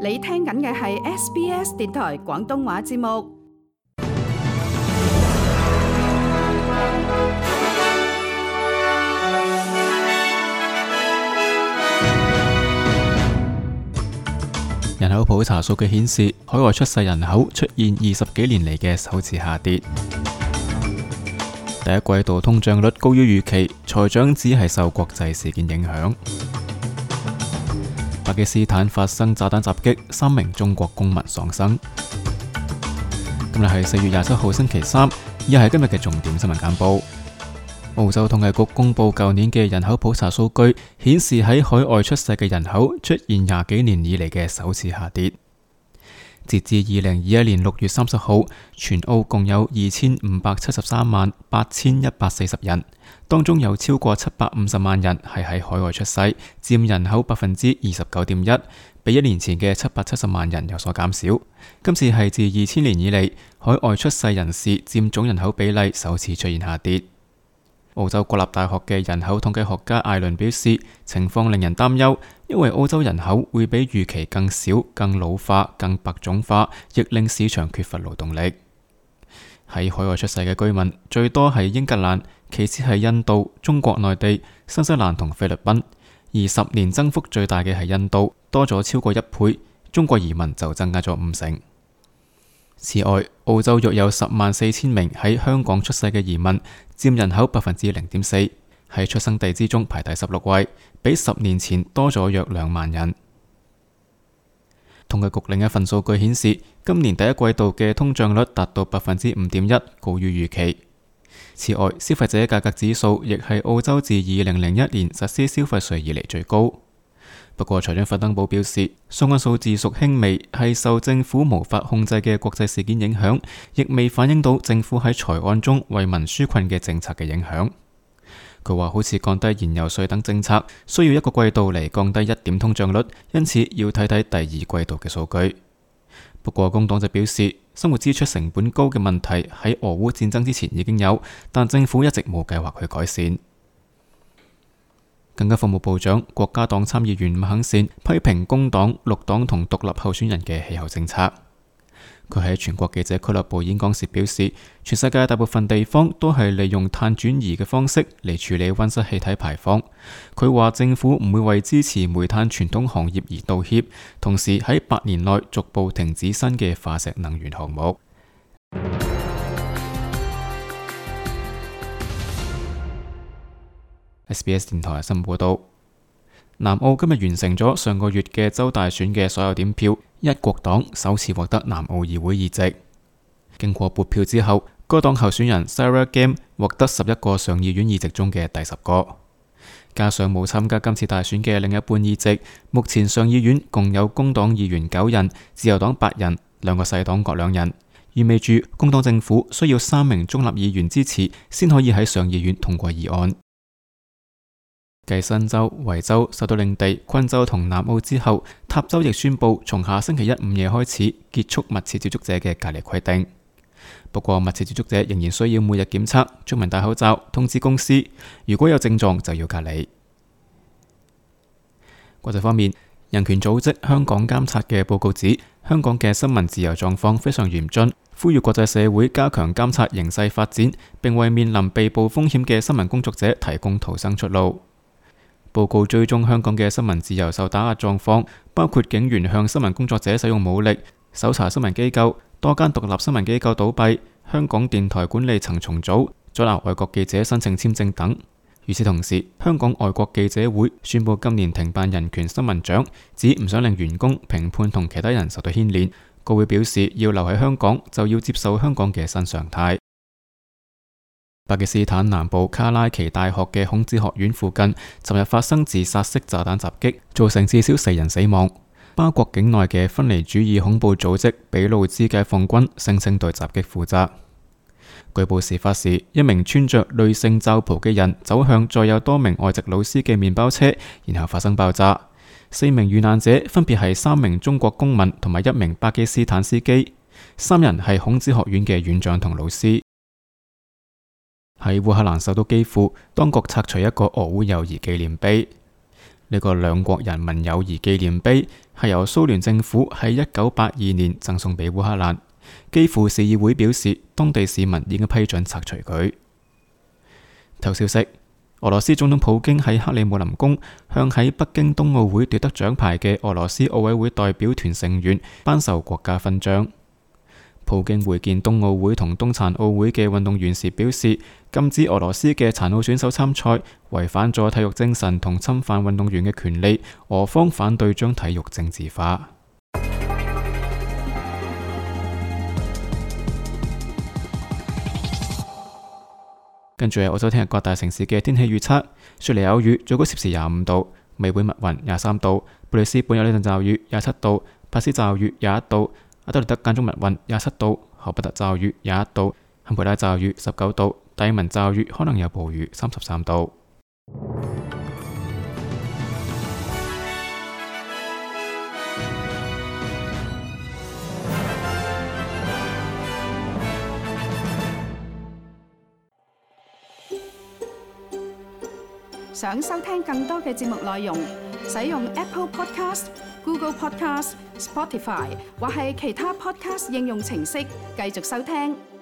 你聽緊嘅係 SBS 電台廣東話節目。人口普查數據顯示，海外出世人口出現20幾年嚟嘅首次下跌。第一季度通脹率高於預期，財長只係受國際事件影響。巴基斯坦發生炸彈襲擊，3名中國公民喪生。今日係4月27號星期三，以下係今日嘅重點新聞簡報。澳洲統計局公布舊年嘅人口普查數據，顯示喺海外出世嘅人口出現20幾年以嚟嘅首次下跌。截至2021年6月30號，全澳共有2573萬8140人，當中有超過750萬人係喺海外出世，佔人口29.1%，比1年前嘅770萬人有所減少。今次係自2000年以嚟，海外出世人士佔總人口比例首次出現下跌。澳洲國立大學嘅人口統計學家艾倫表示，情況令人擔憂，因為澳洲人口會比預期更少、更老化、更白種化，亦令市場缺乏勞動力。喺海外出世嘅居民最多係英格蘭，其次係印度、中國內地、新西蘭同菲律賓，而10年增幅最大嘅係印度，多咗超過1倍，中國移民就增加咗5成。此外，澳洲約有104000名喺香港出世嘅移民，佔人口0.4%，喺出生地之中排第16位，比10年前多咗約2萬人。統計局另一份數據顯示，今年第一季度嘅通脹率達到5.1%，高於預期。此外，消費者價格指數亦係澳洲自2001年實施消費稅以嚟最高。不過，財長弗登堡表示，相關數字屬輕微，係受政府無法控制嘅國際事件影響，亦未反映到政府喺財案中為民紓困嘅政策嘅影響。佢話好似降低燃油稅等政策，需要1個季度嚟降低1點通脹率，因此要睇睇第2季度嘅數據。不過，工黨就表示，生活支出成本高嘅問題喺俄烏戰爭之前已經有，但政府一直冇計劃去改善。更加服務部長、國家黨參議員麥肯善批評工黨、綠黨同獨立候選人嘅氣候政策。佢喺全國記者俱樂部演講時表示，全世界大部分地方都係利用碳轉移嘅方式嚟處理溫室氣體排放。佢話政府唔會為支持煤炭傳統行業而道歉，同時喺8年內逐步停止新嘅化石能源項目。SBS 電台新聞報道，南澳今日完成咗上個月嘅州大選嘅所有點票，一國黨首次獲得南澳議會議席。經過撥票之後，該黨候選人 Sarah Game 獲得11個上議院議席中嘅第10個，加上冇參加今次大選嘅另一半議席，目前上議院共有工黨議員9人，自由黨8人，2個細黨各2人，意味住工黨政府需要3名中立議員支持，先可以喺上議院通過議案。繼新州、維州、首都領地、昆州同南澳之後，塔州亦宣布從下星期一午夜開始結束密切接觸者嘅隔離規定。不過，密切接觸者仍然需要每日檢測、出門戴口罩、通知公司，如果有症狀就要隔離。國際方面，人權組織香港監察嘅報告指，香港嘅新聞自由狀況非常嚴峻，呼籲國際社會加強監察形勢發展，並為面臨被捕風險嘅新聞工作者提供逃生出路。報告追蹤香港嘅新聞自由受打壓狀況，包括警員向新聞工作者使用武力、搜查新聞機構、多間獨立新聞機構倒閉、香港電台管理層重組、阻撓外國記者申請簽證等。與此同時，香港外國記者會宣布今年停辦人權新聞獎，指唔想令員工、評判同其他人受到牽連。該會表示，要留喺香港就要接受香港嘅新常態。巴基斯坦南部卡拉奇大學嘅孔子學院附近，尋日發生自殺式炸彈襲擊，造成至少4人死亡。巴國境內嘅分離主義恐怖組織俾路支解放軍聲稱對襲擊負責。據報事發時，一名穿着女性罩袍嘅人走向載有多名外籍老師嘅麵包車，然後發生爆炸。4名遇難者分別係3名中國公民同埋1名巴基斯坦司機，3人係孔子學院嘅院長同老師。喺烏克蘭首都基輔，當局拆除一個俄烏友誼紀念碑。呢個兩國人民友誼紀念碑係由蘇聯政府喺1982年贈送俾烏克蘭，基輔市議會表示當地市民已經批准拆除佢。頭消息：俄羅斯總統普京喺克里姆林宮向喺北京冬奧會奪得獎牌嘅俄羅斯奧委會代表團成員頒授國家勳章。普京會見冬奧會同冬殘奧會嘅運動員時表示，禁止俄羅斯嘅殘奧選手參賽，違反咗體育精神同侵犯運動員嘅權利，俄方反對將體育政治化。跟住係澳洲聽日各大城市嘅天氣預測：雪梨有雨，最高攝氏25度；美會密雲23度；布里斯本有呢陣驟雨27度；帕斯驟雨21度；阿德利德間中密雲27度；荷伯特驟雨21度；坎培拉驟雨19度；達爾文驟雨可能有暴雨33度。想收聽更多嘅節目內容，使用 Apple Podcast、Google Podcast、Spotify 或係其他 Podcast 應用程式繼續收聽。